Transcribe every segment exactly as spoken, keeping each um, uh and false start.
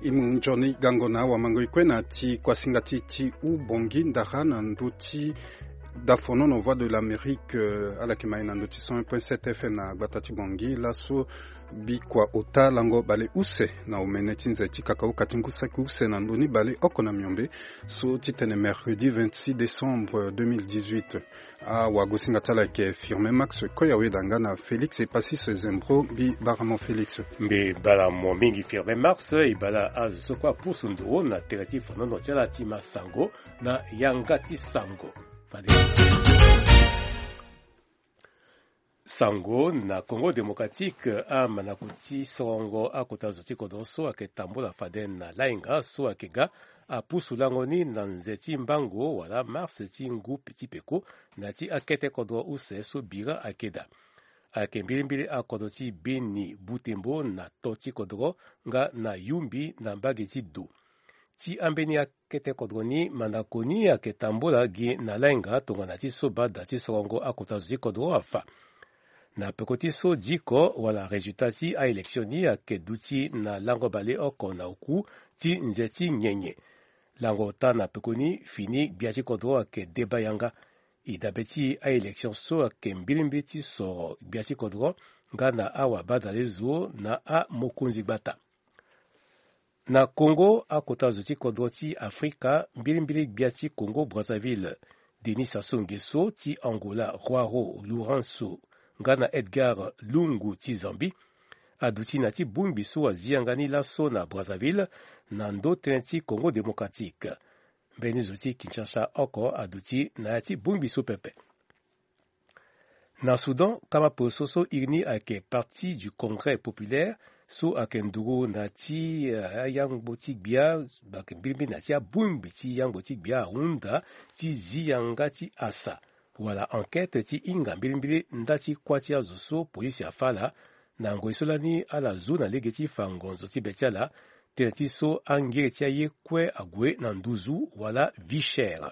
E mu nzoni gango na awamango e kue na ti kuasinga ti ti hou Bongi ndara na ndö ti dafonono Voix de l'Amérique, euh, ala yeke ma e na ndö ti cent un point sept F M na gbata ti Bongi laso. Bikua ota lango bale use na omene ti nze ti kakauka ti ngu saki use na ndö ni bale oko na miombe so ti tene mercredi vingt-six décembre deux mille dix-huit. Awagosinga ti ala yeke Firmin Max Koyaweda nga na Félix Epasis Zembro mbi bara mo Félix. Mbi bara mo mingi Firmin Max, e bara azo so kue apusu nduru na tere ti fonono ti ala ti ma sango na yanga ti sango. Fade sango na Congo Démocratique, amanako ti sorongo akota zo ti kodro so ayeke tambula fade na lainga so ayeke ga apusu lango ni na nze ti mbango wala mars ti ngu ti peko na ti akete kodro use so bira ayeke daa. Ayeke mbilimbili akodro ti Beni, Butembo na to ti kodro nga na Yumbi na mbage ti do. Ti ambeni akete kodro ni mandako ni ayeke tambula gi na lainga tongana ti so bada ti sorongo akota zo ti kodro afa. Na peko ti so diko wala résultat ti aélection ni ayeke duti na lango baleoko na oku ti nze ti nyenye. Lango ota na peko ni fini gbia ti kodro ayeke deba yanga. E dabe ti aélection so ayeke mbilimbili ti soro gbia ti kodro nga na awabadalezo na amokonzi gbata. Na Congo, akota zo ti kodro ti Afrika, mbilimbili gbia ti Congo Brazzaville, Denis Sassou Nguesso ti Angola, Joao Lourenço nga na Edgar Lungu ti Zambie, aduti na ti bongbi so azi yanga ni laso na Brazzaville na ndö tënë ti Congo Démocratique. Mbeni zo ti Kinshasa oko aduti na ya ti bongbi so pepe. Na Soudan, kama poroso so iri ni ayeke Parti du Congrès Populaire, so ayeke nduru na ti, eh, ayangbo ti gbia, ayeke mbilimbili na ti abongbi ti yangbo ti gbia ahunda ti zi yanga ti asa wala enquête ti hinga mbilimbili nda ti kuâ ti azo so polisi afâ ala. Na ngoi so lani ala zu na lege ti fa ngonzo ti be ti ala, tënë ti so angere ti aye kue ague na nduzu wala vie chère.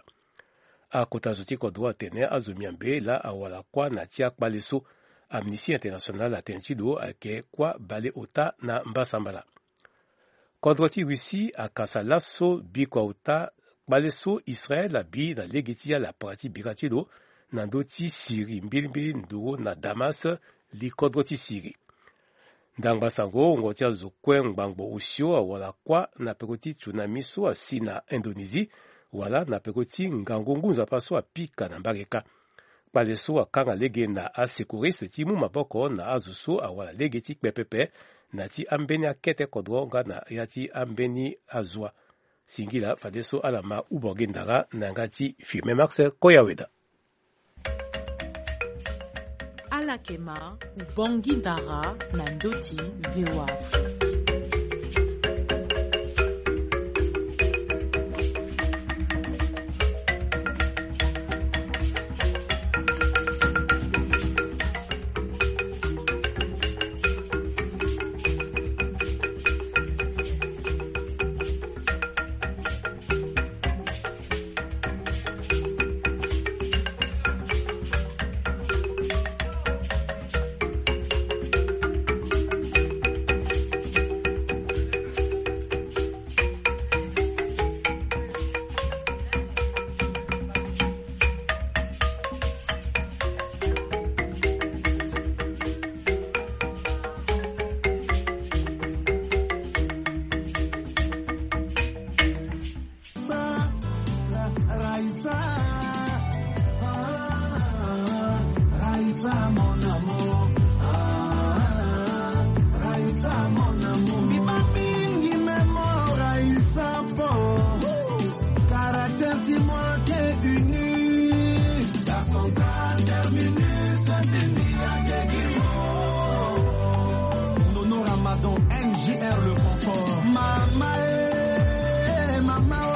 Akota zo ti kodro atene azo miambe laa awara kuâ na ti akpale so. Amnesty International atene ti lo ayeke kuâ baleota na mbasambala. Kodro ti Russie akasa laso bikua ota kpale so Israël abi na lege ti ala para ti bira ti lo na ndö ti Syrie mbilimbili nduru na Damas, likodro ti Syrie. Ndangba sango wungo ti azo kue ngbangbo osio awara kuâ na peko ti tsunami so asi na Indonésie wala na peko ti ngangu ngu nzapa so apika na mbage kâ. Kpale so akanga lege na asecouriste ti mu maboko na azo so awara lege ti kpe pepe na ti ambeni akete kodro nga na ya ti ambeni azua. Singila fadeso ala ma hou Bongi ndara na yanga ti Firmin Max Koyaweda. Ala yeke ma hou Bongi ndara na ndö ti V O A Afrique. Raïssa, ah, Raïssa, mon amour, ah, Raïssa, mon amour. Mbi baa mingi memo Raïssa po caractère ti moi qui est unique. Garçon, terminus, Nono Ramadan, M J R le confort. Mama, eh, mama, oh.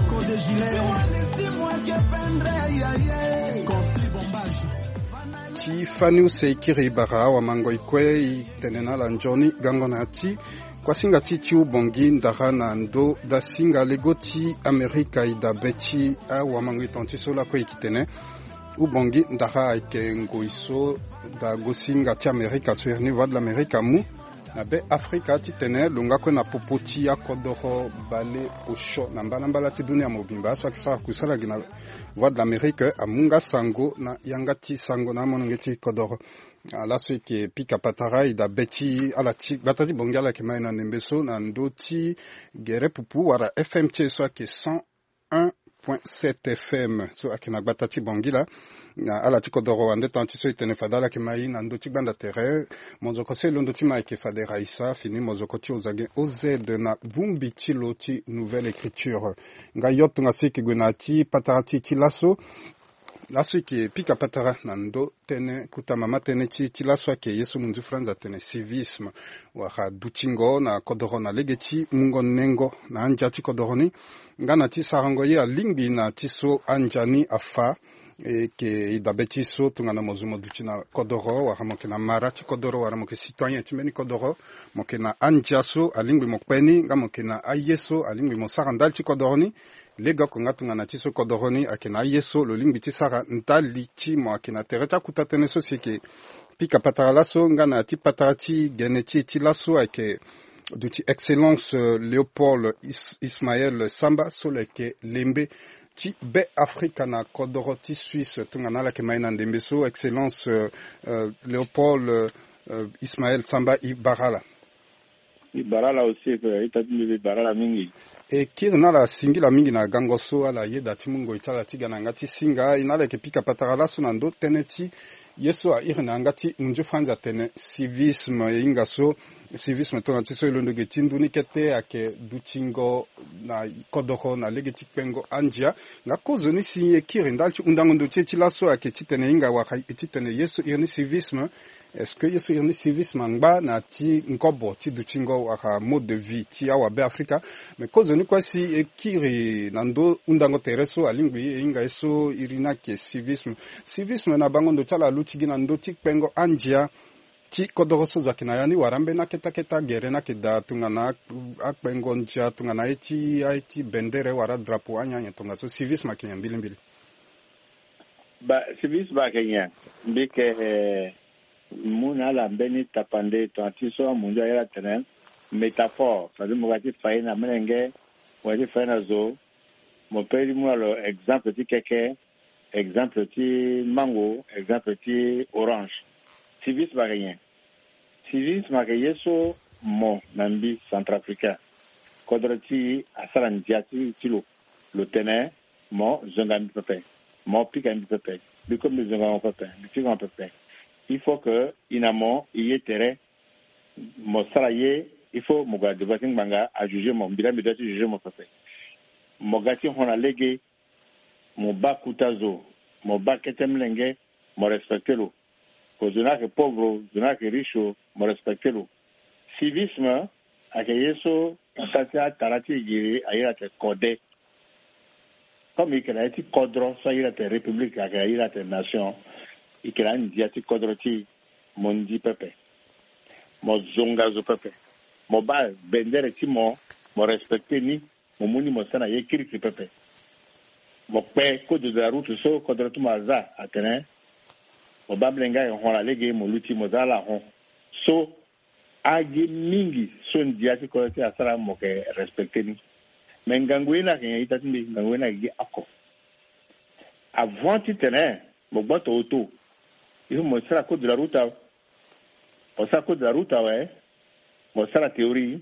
Code gilet. Wali si moi que pendre, ya, ya. Construit bombage. Ti fani use e kiri bara awamango e kue e tene na ala nzoni gango na ya ti kuasinga ti ti hou Bongi ndara na ndö dasinga lego ti Amerika e dabe ti awamango e tonga ti so lakue e yeke tene. Hou Bongi ndara ayeke ngoi so dagosinga ti Amerika so iri ni Voix de l'Amérique amu Na be afrika titene lo nga kue na popo ti akodoro bale osio na mbalambala ti dunia mobimba so ayeke sara kusala gi na voie de l'amérique amu nga sango na yanga ti sango na amolenge ti kodoro. Ala so eke pika patara ida be ti ala ti gbata ti bongi ala yeke mai na ndembe so na ndö ti gere pupu wala fm ti e so ayeke cent un point sept fm so ayeke na gbata ti bangila. Na ala ti kodoro wande tan ti so e tene fade ala yeke mai na ndö ti gbanda tere. Mozoko so e londo ti mai ayeke fade raisa fini mozoko ti ozage oz na bongbi ti lo ti nouvelle écriture. Nga yo tongaso e yeke gue na ya ti patara ti e ti laso. Laso e yeke pika patara na ndö tënë kota mama tënë ti e ti laso ayeke ye so munzu franz atene civisme wala dutingo na kodoro na lege ti mungo nengo na andia ti kodoro ni. Nga na ti sarango ye alingbi na ti so andia ni afa. E yeke e dabe ti so tongana mo zo mo duti na kodoro wala mo yeke na mara ti kodoro wala mo yeke citoyen ti mbeni kodoro, mo yeke na andia so alingbi mo kpe ni nga mo yeke na aye so alingbi mo sara ndali ti kodoro ni. Legeoko nga tongana ti so kodoro ni ayeke na aye so lo lingbi ti sara ndali ti mo ayeke na tere ti akuta tënë so si e yeke pika patara laso nga na ya ti patara ti gene ti e ti laso ayeke duti excellence léopold ismael samba so lo yeke lembe ti be afrika na kodoro ti suisse tongana ala yeke mai na ndembe so excellence léopold ismael samba e bara ala. E bara ala aussi e pe ita ti mbi e bara ala mingi. E kiri na ala singila mingi na gango so ala yeda ti mu ngoi ti ala ti ga na yanga ti singa e na ala yeke pika patara laso na ndö tënë ti ye so a iri na yanga ti munzu franz atene civisme e hinga so civisme tongana ti so e londo ge ti ndu ni kete ayeke dutingo na kodoro na lege ti kpengo andia. Nga kozoni si e kiri ndali ti hundango ndo ti e ti laso ayeke titene e hinga wala e titene ye so iri ni civisme est-ce que ye so iri ni civisme angba na ya ti ngobo ti dutingo wala mode de vie ti awabe afrika? Mais kozoni kue si e kiri na ndö hundango tere so alingbi e hinga ye so iri ni ayeke civisme. Civisme na bango ndo ti ala aluti gi na ndö ti kpengo andia ti kodoro so zo ayeke na ya ni wala ambeni akete akete agere ni ayeke daa tongana akpengo ndia tongana aye ti aye ti bendere wala drapeau anyen anyen tongaso civisme ayeke nyen mbilimbili? Ba civisme ayeke nyen? Mbi yeke mu na ala mbeni tapande tongana ti so amunzu aye ala tene métaphore, c'est-à-dire mo ga ti fa ye na melenge, mo ga ti fa ye na zo. Mo pe ti mu na lo exemple ti keke, exemple ti mango, exemple ti orange. Civisme ayeke nyen? Civisme ayeke ye so mo na mbi centrafricain, kodro ti e asara ndia ti ti lo. Lo tene mo zonga mbi pepe, mo pika mbi pepe, mbi kue mbi zonga mo pepe, mbi pika mo pepe. Il faut que e na mo e ye tere. Mo sara ye, il faut mo gue na devant ti ngbanga ajuger mo, mbi la mbi doit ti juger mo pepe. Mo ga ti hon na lege, mo baa kota zo, mo baa kete molenge, mo respecter lo. Ko zo ni ayeke pauvre o, zo ni ayeke riche o, mo respecter lo. Civisme ayeke ye so ata ti atara ti e giri a iri ate kode. Comme e yeke na ye ti kodro so a iri ate république ayeke a iri ate nation, e yeke na andia ti kodro ti e. Mo ndi pepe, mo zonga zo pepe, mo baa bendere ti mo, mo respecter ni, mo mu ni mo sara na ye kirikiri pepe. Mo kpe code de la route so kodro ti mo aza atene mo baa mlenge ayeke hon na lege mo luti mo za ala hon. So agi mingi so ndia ti kodro ti e asara mo yeke respecter ni. Mais ngangu ye ni ayeke nyen ita ti mbi? Ngangu ye ni ayeke gi oko. Avant titene mo gboto auto, il faut mo sara code de la route awe. Mo sara code de la route awe, mo sara théorie,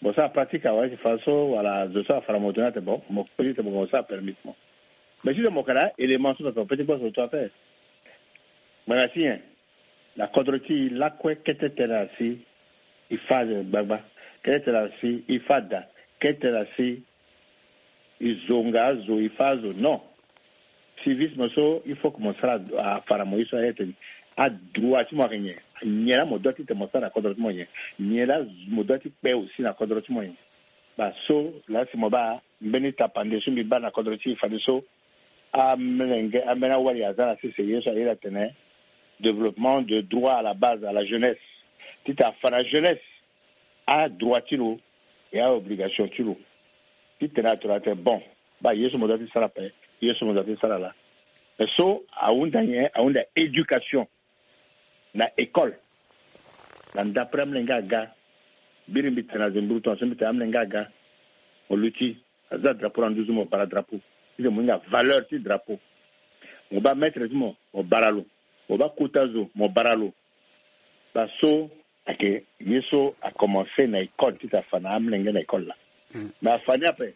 mo sara pratique awe. Si fa so wala zo so afa na moto ni ate bon, mo pe ti tene mo sara permis ti mo. Mais titene mo yeke na élément so pepe mo pe ti gboto auto ape. Ngbanga ti nyen? Na kodro ti e lakue kete tene asi e fa azo gbagba, kete tene asi e fa da, kete tene asi e zonga azo, e fa azo. Non. Civisme so il faut que mo sara afa na mo ye so aye tene adroit ti mo ayeke nyen? Nyen la mo doit ti tene mo sara na kodro ti mo nyen? Nyen la mo doit ti kpe aussi na kodro ti mo nyen? Ba so la si mo baa mbeni tapande so mbi baa na kodro ti e fadeso amolenge ambeni awali aza na sese ye so aye la tene développement de droit à la base à la jeunesse. Titene afa na jeunesse adroit ti lo e aobligation ti lo. Titene atona tene bon, baa ye so mo doit ti sara ape, ye so mo doit ti sara laa. Mais so ahunda nyen? Ahunda éducation na école. Na ndapre amolenge aga Biri mbi tene azo mbi rutu na so mbi tene amolenge aga. Mo luti, aza drapeau na nduzu, mo bara drapeau. Ti tene mo hinga valeur ti drapeau. Mo baa maître ti mo, mo bara lo. Mo baa kota zo, mo bara lo. Baa so ayeke ye so akomanse na école ti tene afa na amolenge na école laa. Mais afa ni ape,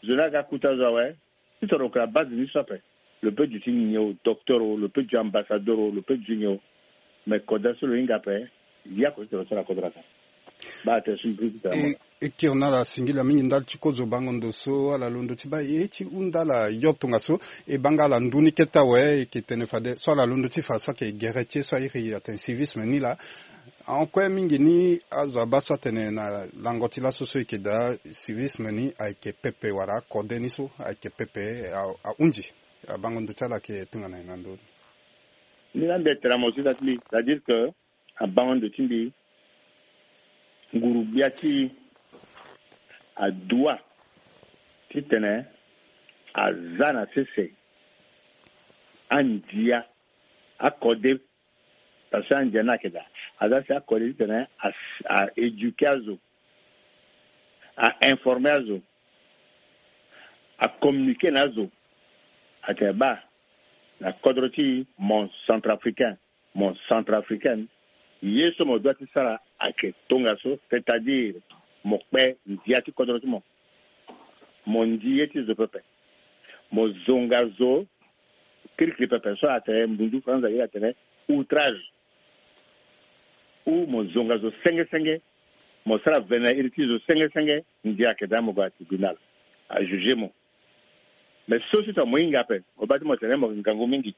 zo ni aga kota zo awe. Ti toro lo yeke na base ni so ape. Lo peut duti nyen o, docteur o, lo peut duti ambassadeur o, lo peut duti nyen o. Mais kodro so lo hinga ape, ya ko ti toro so na kodro ape. Baa tene so mbi ti tene. E kiri na ala singila mingi ndali ti kozo bango ndo so ala londo ti baa ye ti hunda ala yo tongaso. E baa nga ala ndu ni kete awe, e yeke tene fade so ala londo ti fa so ayeke gere ti ye so airi atene civisme ni laa. Ahon kue mingi ni azo abaa so atene na lango ti laso so e yeke daa civisme ni ayeke pepe wala akode ni so ayeke pepe, a- ahunzi. Abango ndo ti ala ayeke tongana nyen na ndö ni? Ni laa mbi tene na mo so daa ti mbi, c'est-à-dire que abango ndo ti mbi, nguru-gbia ti e adoit ti tene aza na sese andia akode. Parce que andia ni ayeke daa, aza si akode ti tene a- a éduquer azo, a informer azo, a communiquer na azo. Atene baa, na kodro ti mo centrafricain, mo centrafricaine, ye so mo doit ti sara ayeke tongaso, c'est-à-dire mo kpe ndia ti kodro ti mo. Mo ndi ye ti zo pepe. Mo zonga zo kirikiri pepe so atene mbunzu franza ye atene outrage. Ou mo zonga zo senge senge, mo sara vene na iri ti zo senge senge, ndia ayeke daa mo gue na tribunal, ajuge mo. Mais so si tongana mo hinga ape, mo baa ti mo tene mo yeke ngangu mingi.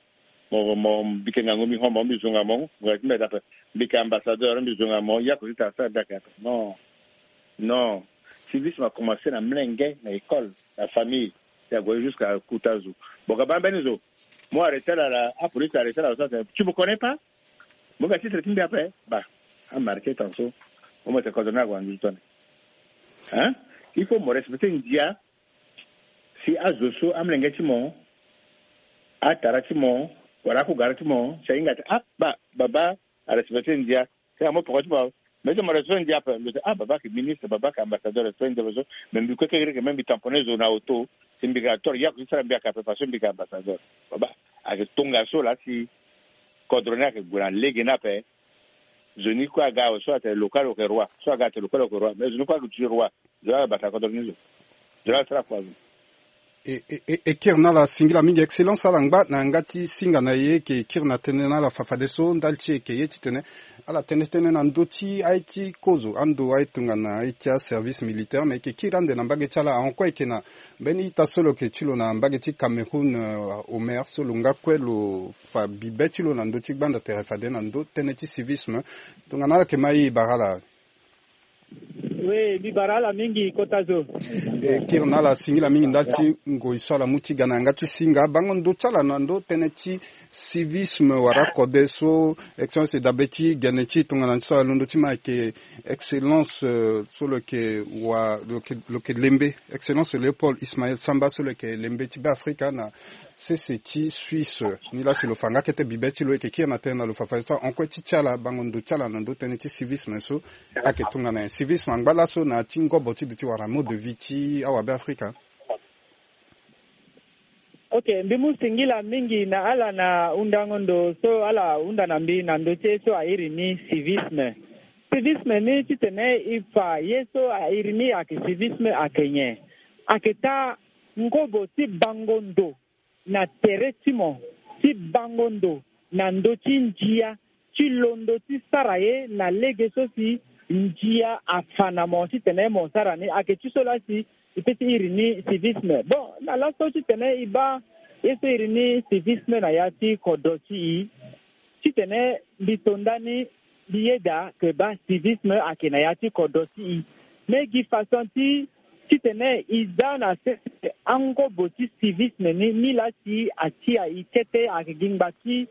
Mo mo mbi yeke ngangu mingi, hon mo mbi zonga mo, mo yeke ti mbeta ape. Mbi yeke ambassadeur, mbi zonga mo, ya ko ti tara sara daa ayeke ape. Non. Non. Civisme akomanse na mlenge, na école, na famille. Ti ague jusqu'à kota zo. Bon, ka baa mbeni zo. Mo arrêter ala, apolice arrêter ala so atene tu me connais pas? Mo ga titre ti mbi ape? Bah, amarqué tant so. Mo mo tene kodro ni ague na nduzu tone. Hein? Il faut mo respecter ndia. Si azo so amlenge ti mo, atara ti mo, wala akugara ti mo, si ahinga ti ah, bah, baba arespecter ndia. Si amo poko ti mo, mais ti mo respecter ndia ape, lo ti ah, baba ayeke ministre, baba ayeke ambassadeur, respecter ndia ape so. Mais mbi kue kekere ke même mbi tamponner zo na auto. Si mbi ga toro, ya ko ti sara mbi ayeke ape, parce que mbi ayeke ambassadeur. Baba ayeke tongaso laa si kodro ni ayeke gue na lege ni ape. Zo ni kue aga awe, so atene local lo yeke roi, so aga atene local lo yeke roi, mais zo ni kue ayeke duti roi. Zo la bata kodro ni zo. Zo la sara kua zo. E, e, e, e kiri na ala singila mingi, excellence, ala ngba na yanga ti singa na ye, e yeke kiri na tënë na ala fafadeso ndali ti e yeke ye titene ala tene tënë na ndö ti aye ti kozo, ando aye tongana aye ti aservice militaire, me e yeke kiri ande na mbage ti ala. Ahon kue e yeke na mbeni ita so lo yeke ti lo na mbage ti Cameroun, euh, Omer, so lo nga kue lo fa bibe ti lo na ndö ti gbanda tere fade na ndö tënë ti civisme. Tongana ala yeke ma e, e bara ala. Oui, mbi bara ala mingi kota zo. E kiri na ala singila mingi ndali ti ngoi so ala mu ti ga na yanga ti singa. Bango ndo ti ala na ndö tënë ti civisme wala kode so, excellence, e dabe ti gene ti e tongana so alondo ti ma ayeke excellence, euh, so lo yeke wa, lo yeke, lo yeke lembe, excellence Léopold Ismaël Samba, so lo yeke lembe ti Beafrika na sese ti Suisse. Nilaa si lo fa nga kete bibe ti lo, e yeke kiri na tënë na lo fafadeso. Ahon kue ti ti ala, bango ndo ti ala na ndö tënë ti civisme so ayeke tongana nyen? Civisme angba laso na ya ti ngobo ti duti wala mode de vie ti awabe Afrika? Ok, mbi mu singila mingi na ala na hundango ndo so ala hunda na mbi na ndö ti ye so airi ni civisme. Civisme ni titene e fa ye so airi ni ayeke civisme ayeke nyen? Ayeke taa ngobo ti bango ndo na tere ti mo, ti bango ndo na ndö ti ndia, ti londo ti sara ye na lege so si ndia afa na mo titene mo sara ni. Ayeke ti so laa si e peut ti iri ni civisme. Bon, na laso titene e baa ye so iri ni civisme na ya ti kodro ti e, titene mbi to ndani mbi yeda ke baa civisme ayeke na ya ti kodro ti e. Me gi façon ti titene e za na sese angobo ti civisme ni, ni laa si atia e kete ayeke gi ngba ti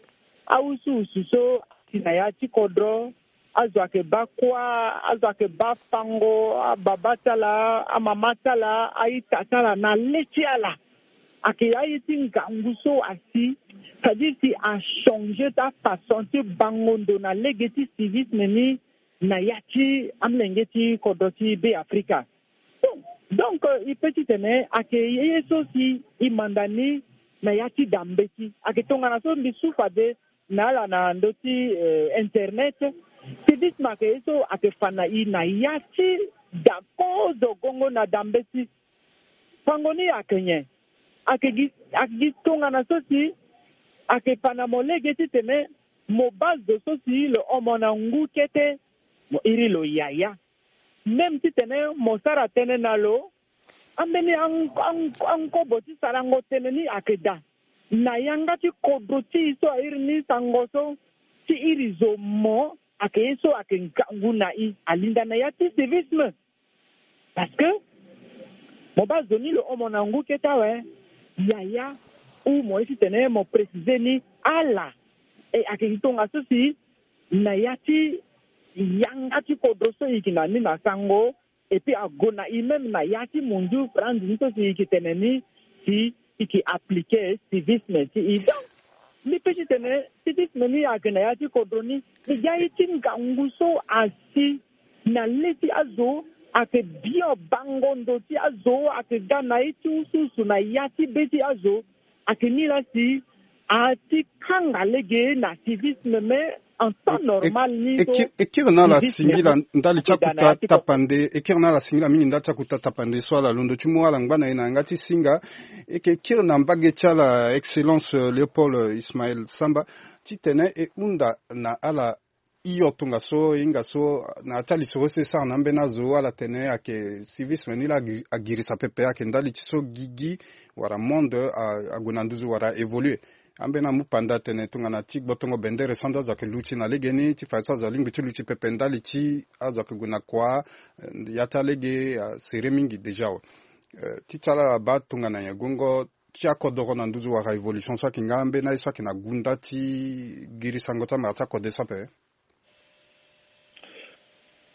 awusuwusu so asi na ya ti kodro. Azo ayeke baa kuâ, azo ayeke baa fango, ababa ti ala, amama ti ala, a-ita ti ala na le ti ala. Ayeke aye ti ngangu so asi, c'est-à-dire si achanger ti afaçon ti bango ndo na lege ti civisme ni, na ya ti amolenge ti kodro ti Be Afrika. Donc, donc, euh, e pe titene ayeke ye so si e manda ni na ya ti da mbeti. Ayeke tongana so mbi su fade na ala na ndö ti, euh, internet. Civisme ayeke ye so ayeke fa na e na ya ti da kozo gongo na da mbeti. Fango ni ayeke nyen? Ayeke gi, ayeke gi tongana so si ayeke fa na mo lege titene mo baa zo so si lo hon mo na ngu kete, mo iri lo yaya. Même titene mo sara tënë na lo, ambeni an-, an-, ankobo ti sarango tënë ni ayeke daa. Na yanga ti kodro ti e so a iri ni sango so, ti iri zo mo, ayeke ye so ayeke ngangu na e, alinda na ya ti civisme. Parce que mo baa zo ni lo hon mo na ngu kete awe, yaya, ou mo ye titene mo préciser ni ala. E ayeke gi tongaso si na ya ti yanga ti kodro so e yeke na ni na sango, et puis ague na e même na ya ti munzu franzi ni so si e yeke tene ni, si e yeke appliquer civisme ti e. Donc mbi pe titene civisme ni ayeke na ya ti kodro ni. E ga ye ti ngangu so asi na le ti azo, ayeke bio bango ndo ti azo, ayeke ga na ye ti usuusu na ya ti be ti azo. Ayeke ni laa si a ti kanga lege na civisme, mais en temps normal ni so e kiri na ala singila ndali ti akuta tapande, e kiri na ala singila mingi ndali ti akuta tapande so ala londo ti mu ala ngba na e na yanga ti singa. E yeke kiri na mbage ti ala, Excellence, euh, Léopold, euh, Ismaël Samba, titene e hunda na ala hio tongaso, e hinga so na ya ti alisoro so e sara na ambeni azo, ala tene ayeke civisme ni laa agi-, agirisa pepe, ayeke ndali ti so gigi wala monde a, ague na nduzu wala évoluer. Ambeni amu panda atene tongana ti gbotongo bendere so ande azo ayeke luti na legeni, ti fa ye so azo alingbi ti luti pepe ndali ti azo ayeke gue na kua, eh, ya ti alege asere mingi déjà awe. Eh, ti ti ala ala baa tongana nyen? Gongo ti akodoro na nduzu wala évolution so ayeke nga, ambeni aye so ayeke na gunda ti girisango ti amara ti akode so ape?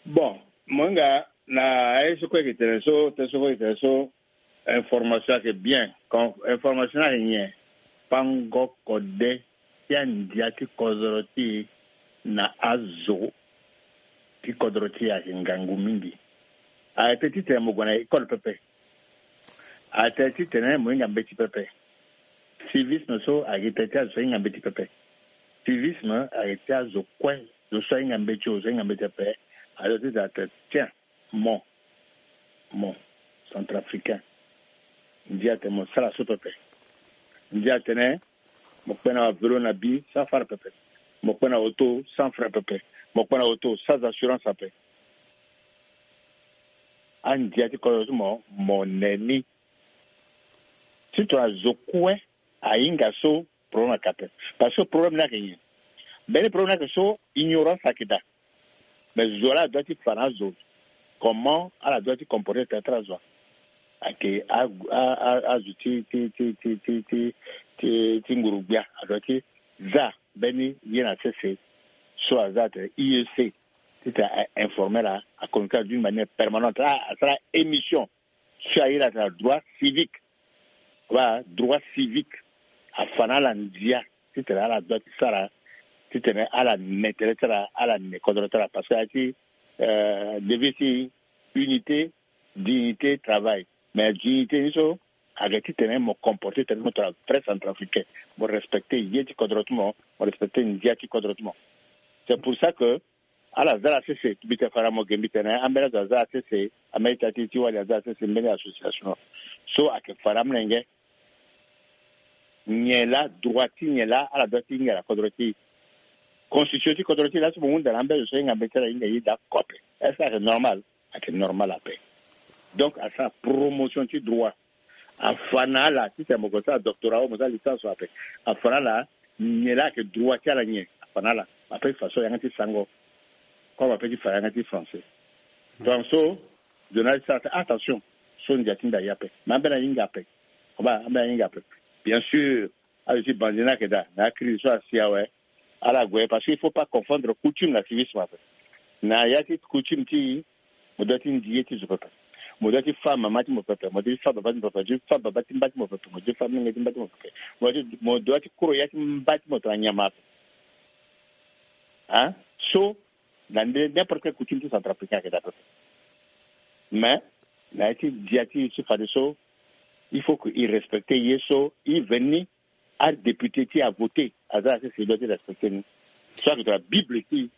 Bon, mo hinga na aye so kue e yeke tene so, tënë so kue e yeke tene so, information ayeke bien. Kon-, information ni ayeke nyen? Pango kode ti andia ti kodro ti e na azo ti kodro ti e ayeke ngangu mingi. Ayeke titene mo gue na école pepe. Ayeke titene mo hinga mbeti pepe. Civisme so ayeke tene ti azo so ahinga mbeti pepe. Civisme ayeke ti azo kue, zo so ahinga mbeti o, zo ahinga mbeti pepe. Azo ti tene, tiens, mo, mo centrafricain, ndia tene mo sara so pepe. Ndia tene mo kpe na vélo na bi sans frais pepe. Mo kpe na auto sans frais pepe. Mo kpe na auto sans assurance ape. Andia ti kodro ti mo, mo ne ni. Ti tongana zo kue ahinga so, problème ayeke ape. Parce que problème ni ayeke nyen? Mbeni problème ni ayeke so ignorance ayeke daa. Mais zo laa adoit ti fa na azo comment ala doit ti comporter tene ti ala zo. Ayeke a, a, a, azo ti, ti, ti nguru-gbia adoit ti za mbeni ye na sese so aza atene I E C, titene a informer ala, a communiquer d'une manière permanente. A, asara émission so a iri atene droit civique. Wala droit civique. Afa na ala ndia titene ala doit ti sara, titene ala ne tere ti ala, ala ne kodro ti ala. Parce que aye ti, euh, devise ti unité, dignité, travail. Mais dignité ni so ayeke titene mo comporter tene mo tongana vrai centrafricain, mo respecter ye ti kodro ti mo, mo respecter ndia ti kodro ti mo. C'est pour ça que ala za ala sese, mbi tene fara mo ge, mbi tene ambeni azo aza ala sese, ambeni ita ti, ti wali aza ala sese, mbeni association so ayeke fara amolenge. Nyen laa, droit ti nyen laa ala doit ti hinga na kodro ti e? Constitution ti kodro ti e laa so mo hunda na ambeni azo so ahinga mbeti ti ala, ahinga ye daa kote. Est-ce que ayeke normal? Ayeke normal ape. Donc asara promotion ti droit. Afa na ala titene mo gue sara doctorat, mo sara licence ape. Afa na ala nyen laa ayeke droit ti ala nyen. Afa na ala. Ape ti fa so yanga ti sango. Comme ape ti fa yanga ti français. Donc so zo na ala ti sara attention. So ndia ti mbi aye ape. Mais ambeni ahinga ape. Koba, ambeni ahinga ape. Bien sûr, azo ti bandi ni ayeke daa na acrise so asi awe. Ala gue, parce que il faut pas confondre coutume na civisme ape. Na ya ti coutume ti e, mo doit ti ndi ye ti zo pepe. Mo doit ti fa mama ti mo pepe. Mo doit ti fa baba ti mo pepe. Mo doit ti fa baba ti mba ti mo pepe. Mo doit ti fa menge ti mba ti mo pepe. Mo doit ti, mo doit ti koro ya ti mba ti mo tongana nyama ape. Hein? So Na nde n'importe quelle coutume ti centrafricain ayeke daa pepe. Mais na ya ti dia ti e ti fadeso, il faut que e respecte ye so e veni. Adéputé ti avoté aza asese e doit ti respecte ni. So ayeke to na bible ti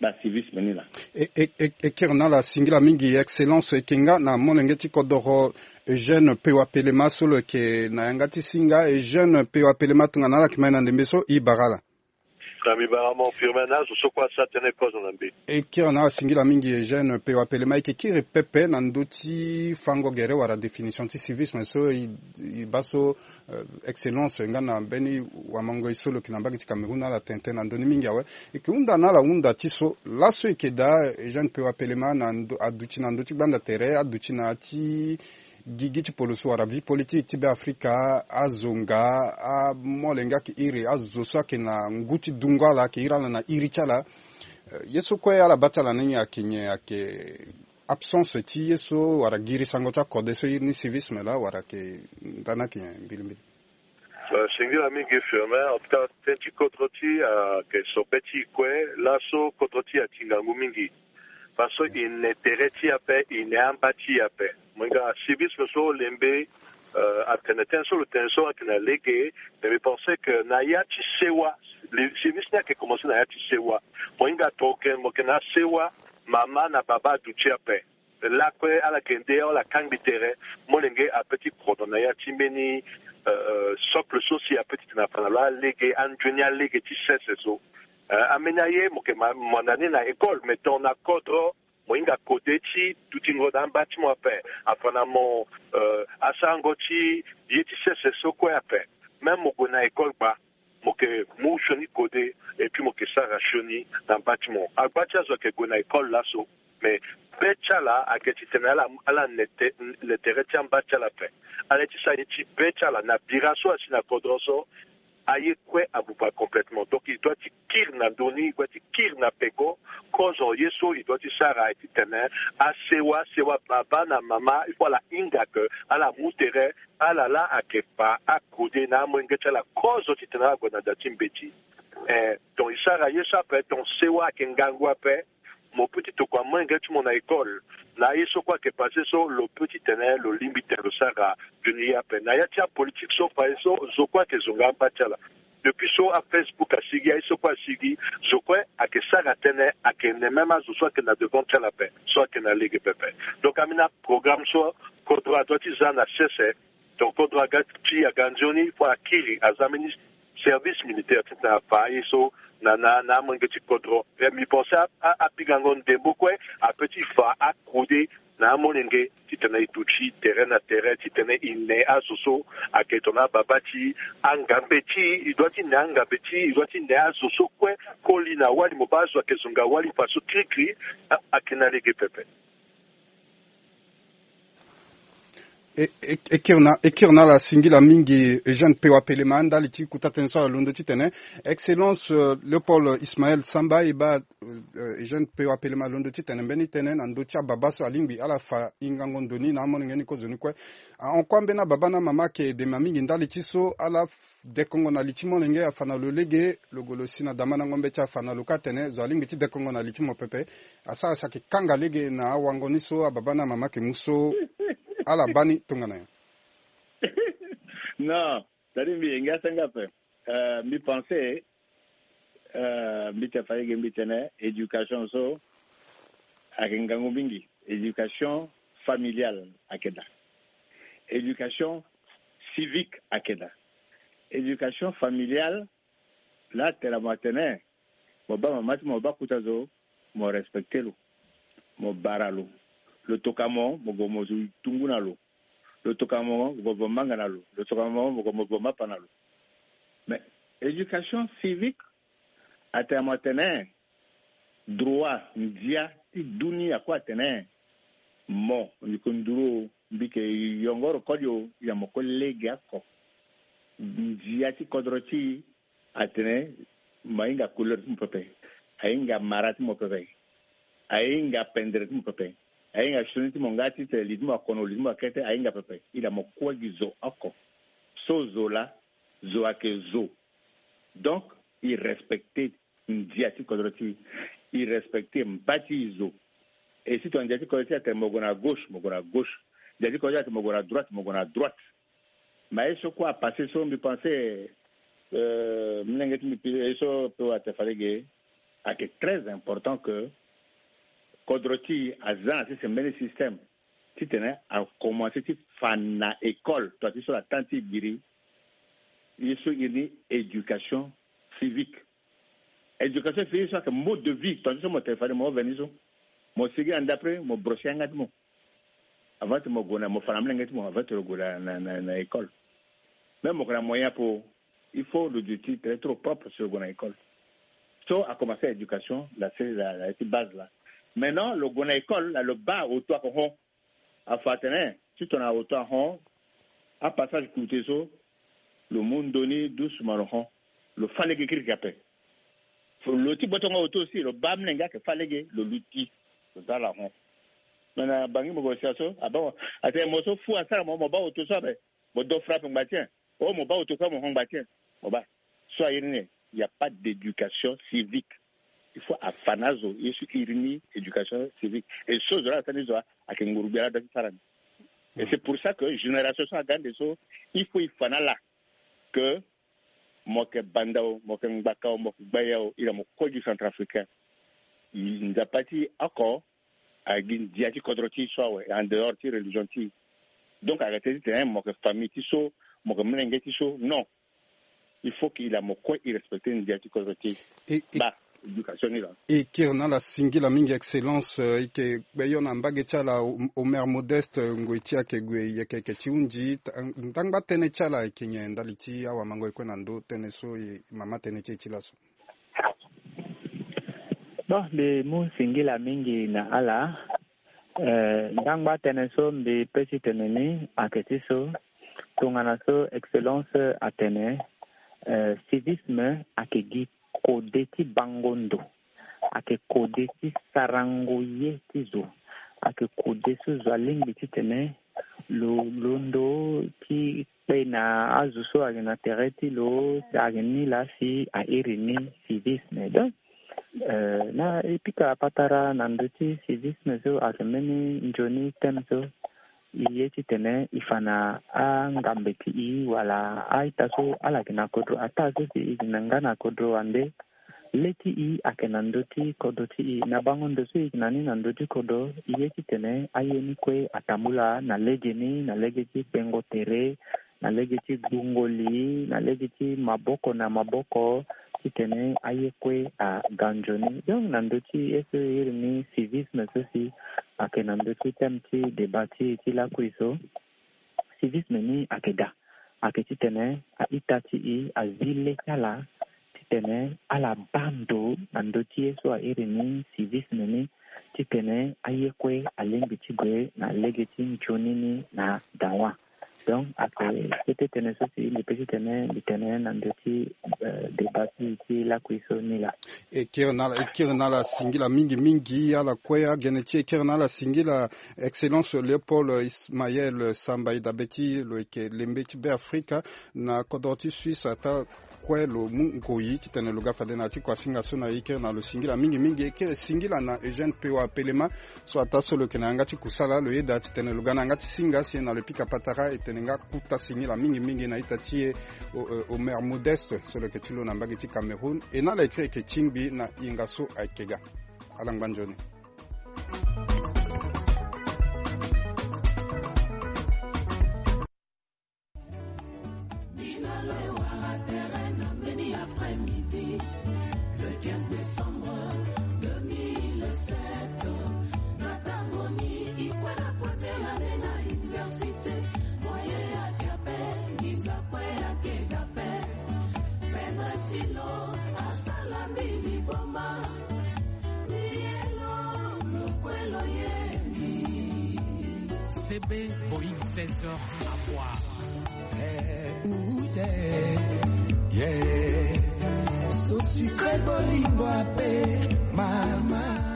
bacivisme ni laa. E, e, e, e kiri na ala singila mingi excellence, e yeke nga na molenge ti kodoro Eugène Pewa Pelema so lo yeke na yanga ti singa. Eugène Pewa Pelema, tongana ala yeke ma e na ndembe so, e bara ala. Na mbi bara mo Firmin na azo so kue asara tënë kozo na mbi. E kiri na ala singila mingi Eugène Pewa Pelema. E yeke kiri pepe na ndö ti fango gere wala définition ti civisme so e, e baa so, euh, excellence nga na mbeni wamangoi so lo yeke na mbage ti Cameroun ala tene tënë na ndö ni mingi awe. E yeke hunda na ala hunda ti so laso e yeke daa Eugène Pewa Pelema na ndö, aduti na ndö ti gbanda tere, aduti na ya ti gigi ti poloso wala vie politique ti Beafrika, azo nga, amolenge ayeke iri, azo so ayeke na ngu ti dungo ala ayeke iri ala na iri ti ala. Eh, ye so kue ala baa ti ala ni ayeke nyen, ayeke absence ti ye so wala giri sango ti akode so e iri ni civisme laa wala ayeke ndani ayeke nyen mbilimbili? Euh, singila mingi Firmin, en tout cas tënë ti kodro ti e ayeke so be ti e kue. Laso kodro ti e ati ngangu mingi. Parce que e ne tere ti e ape, e ne amba ti e ape. Mo hinga civisme so lembe, euh, atene tënë so lo tene so ayeke na lege. Mais mbi pense que na ya ti sewa, le civisme ni ayeke commencé na ya ti sewa. Mo hinga tongana mo yeke na sewa, mama na baba aduti ape. Lakue ala yeke nde ala kangbi tere, molenge apeut ti kodro na ya ti mbeni, euh, socle so si apeut ti tene afa na lo alege, anzoni alege ti sese so. Euh, ambeni aye mo yeke ma, mo na ni na école, mais tongana kodro, mo hinga kode ti dutingo na amba ti mo ape, afa na mo, euh, asarango ti ye ti sese so kue ape. Même mo gue na école gba, mo yeke mu sioni kode, et puis mo yeke sara sioni na amba ti mo. Agba ti azo ayeke gue na école laso, mais be ti ala ayeke titene ala, ala ne te, ne tere ti amba ti ala ape. Ala ye ti sara ye ti be ti ala na bira so asi na kodro so, aye kue abuba complètement. Donc e doit ti kiri na ndö ni, e doit ti kiri na peko. Kozo ye so e doit ti sara aye titene asewa, asewa baba na mama, il faut ala hinga que ala mu tere, ala laa ayeke fa akode na amolenge ti ala kozo titene ala gue na da ti mbeti. Eh, donc e sara ye so ape, donc sewa ayeke ngangu ape. Mo peut ti tokua molenge ti mo na école. Na aye so kue ayeke passé so, lo peut ti tene lo lingbi tene lo sara nzoni ye ape. Na ya ti apolitique so fa ye so, zo kue ayeke zonga amba ti ala. Depuis so aFacebook asigi, aye so kue asigi, zo kue ayeke sara tënë, ayeke ne même azo so ayeke na devant ti ala ape, so ayeke na lege pepe. Donc ambeni aprogramme so kodro adoit ti za na sese. Donc kodro aga ti aga nzoni, il faut akiri, aza mbeni service militaire titene afa aye so na, na, na amolenge ti kodro. Eh, mbi pense a, a, apikango ndembo kue apeut ti fa akode na amolenge titene e duti tere na tere, titene e ne azo so ayeke tongana ababa ti angambe ti e, e doit ti ne angambe ti e, e doit ti ne azo so kue koli na wali, mo baa azo ayeke zonga wali faso kirikiri, a, ayeke na lege pepe. E, e, e kiri na, e kiri na ala singila mingi Eugène Pewa Pelema ndali ti kota tënë so ala londo titene. Excellence, euh, Léopold Ismaël Samba, e baa, euh, Eugène Pewa Pelema alondo titene mbeni tënë na ndö ti ababa so alingbi ala fa hingango ndo ni na amolenge ni kozoni kue. Ahon kue ambeni ababa na amama ayeke dema mingi ndali ti so ala f-, dekongo na li ti molenge, afa na lo lege, lo gue lo si na damandango mbeti, afa na lo kâ atene zo alingbi ti dekongo na li ti mo pepe. Asara si ayeke kanga lege na awango ni so ababa na amama ayeke mu so ala baa ni tongana nyen? Non, c'est-à-dire mbi yenge asanga ape. Euh, mbi pense, euh, mbi tene fa lege mbi tene éducation so ayeke ngangu mingi. Éducation familiale ayeke daa. Éducation civique ayeke daa. Éducation familiale, laa tene mo atene mo baa mama ti mo, mo baa kota zo, mo respecte lo, mo bara lo. Lo toka mo, mo gue mo zo tungu na lo. Lo toka mo, mo gue mo vo manga na lo. Lo toka mo, mo gue mo vo mapa na lo. Mais éducation civique atene mo atene droit, ndia ti dunia kue atene mo, mbi yeke nduru o, mbi yeke yongoro koli o, ya mo kue lege oko. Ndia ti kodro ti e atene mo ahinga couleur ti mo pepe, ahinga mara ti mo pepe, ahinga pendere ti mo pepe, ahinga sioni ti mo nga ti tene li ti mo akono, li ti mo akete, ahinga pepe. E la mo kue gi zo oko. So zo laa, zo ayeke zo. Donc e respecte ndia ti kodro ti e. e respecter mba ti e zo. Et si tongana ndia ti kodro ti e atene mo gue na gauche, mo gue na gauche. Ndia ti kodro ti e atene mo gue na droite, mo gue na droite. Mais ye so kue apasse so, mbi pense, euh, molenge ti mbi, ye so pe wara te fade ge, ayeke très important que kodro ti e aza na sese mbeni système titene akomanse ti fa na école, tonga ti so la temps ti e giri, ye so iri ni éducation civique. Éducation civique so ayeke mode de vie, tonga ti so mo tene fade mo veni so, mo sigi na ndapre, mo brosser yanga ti mo avant ti mo gue na, mo fa na molenge ti mo avant ti lo gue na, na, na, na école. Même mo yeke na moyen apo, il faut lo duti très trop propre si lo gue na école. So akomanse éducation la, c'est la, la ti base la. Maintenant lo gue na école la, lo baa auto ayeke hon. Afa atene ti tongana auto ahon, apassage coûté so, lo mu ndo ni doucement lo hon. Lo fa lege kirikiri ape. Lo ti botongo auto aussi, lo baa molenge ayeke fa lege, lo luti, lo za ala hon. Me na Bangui mo gue sia so, abaa mo, atene mo so fu asara mo, mo baa auto so ape, mo do frappe ngba ti e. Oh, mo baa auto kue mo hon ngba ti e. Mo baa. So airi ni, il n'y a pas d'éducation civique. Il faut afa na azo ye so iri ni éducation civique. Et so zo la asara ni zo, ayeke nguru gbia la da ti sara ni. Et c'est pour ça que génération so aga ande so, il faut e fa na ala que mo yeke Banda o, mo yeke Ngbaka o, mo yeke Gbaya o, iri na mo kue gi Centrafricain. Nzapa ti e oko, agi ndia ti kodro ti e so awe, en dehors ti religion ti e. Donc ayeke tene ti tene mo yeke famille ti so, mo yeke molenge ti so, non. Il faut que e laa mo kue e respecter ndia ti kodro ti e. E, e, ba éducation ni la. E kiri na ala singila mingi, excellence, euh, e yeke gbeyo na mbage ti ala, Omer Modeste, ngoi ti e ayeke gue yeke yeke ti hunzi, ta-, ndangba tënë ti ala e yeke nyen ndali ti awamango e kue na ndö tënë so e mama tënë ti e ti laso? Bon, mbi mu singila mingi na ala. Eh, ndangba tënë so mbi pe ti tene ni ayeke ti so, tongana so excellence atene, eh, civisme ayeke gi kode ti bango ndo, ayeke kode ti sarango ye ti zo, ayeke kode so zo alingbi ti tene lo londo ti kpe na azo so ayeke na tere ti lo, ayeke ni laa si airi ni civisme. Donc, eh, na e pika patara na ndö ti civisme so ayeke mbeni nzoni thème so, e ye ti tene e fa na angambe ti e wala a-ita so ala yeke na kodro ataa so si e yeke na nga na kodro wande. Le ti e ayeke na ndö ti kodro ti e. Na bango ndo so e yeke na ni na ndö ti kodro, e ye ti tene aye ni kue atambula na lege ni, na lege ti gbengo tere, na lege ti gbungo li, na lege ti maboko na maboko, titene aye kue aga nzoni. Donc na ndö ti ye so e iri ni civisme so si ayeke na ndö ti thème ti débat ti e ti lakui so, civisme ni ayeke daa. Ayeke titene a-ita ti e azi le ti ala titene ala baa ndo na ndö ti ye so a iri ni civisme ni, titene aye kue alingbi ti gue na lege ti nzoni ni na dawa. Donc ayeke kete tënë so si mbi pe titene mbi tene na ndö ti, eh, débat ti, ti lakui so ni laa. E kiri na ala, e kiri na ala singila mingi mingi ala kue. Agene ti e kiri na ala singila Excellence Léopold Ismaël Samba, e dabe ti lo yeke lembe ti Beafrika na kodro ti Suisse. Ataa kue lo mu ngoi titene lo ga fade na ya ti kuasinga so na e. E kiri na lo singila mingi mingi. E kiri singila na Eugène Pewa Pelema so ataa so lo yeke na yanga ti kusala. Lo yeda titene lo ga na yanga ti singa si na lo pika patara, e tene nga kota singila mingi mingi na ita ti e, o, o, Omer Modeste so lo yeke ti lo na mbage ti Cameroun. E na ala e kiri yeke tingbi na hinga so ayeke ga. Ala ngba nzoni. Le quinze décembre deux mille sept, na tango ni e kue na première année na université, moyen ayeke ape, nginza kue ayeke daa ape. Pendre ti lo asala mbi liboma, mbi ye lo, lo kue lo ye mbi. C B Boeing seize heures à boire. Eh, ouh, yeah, yeah. So sucré bolingo ape, mama.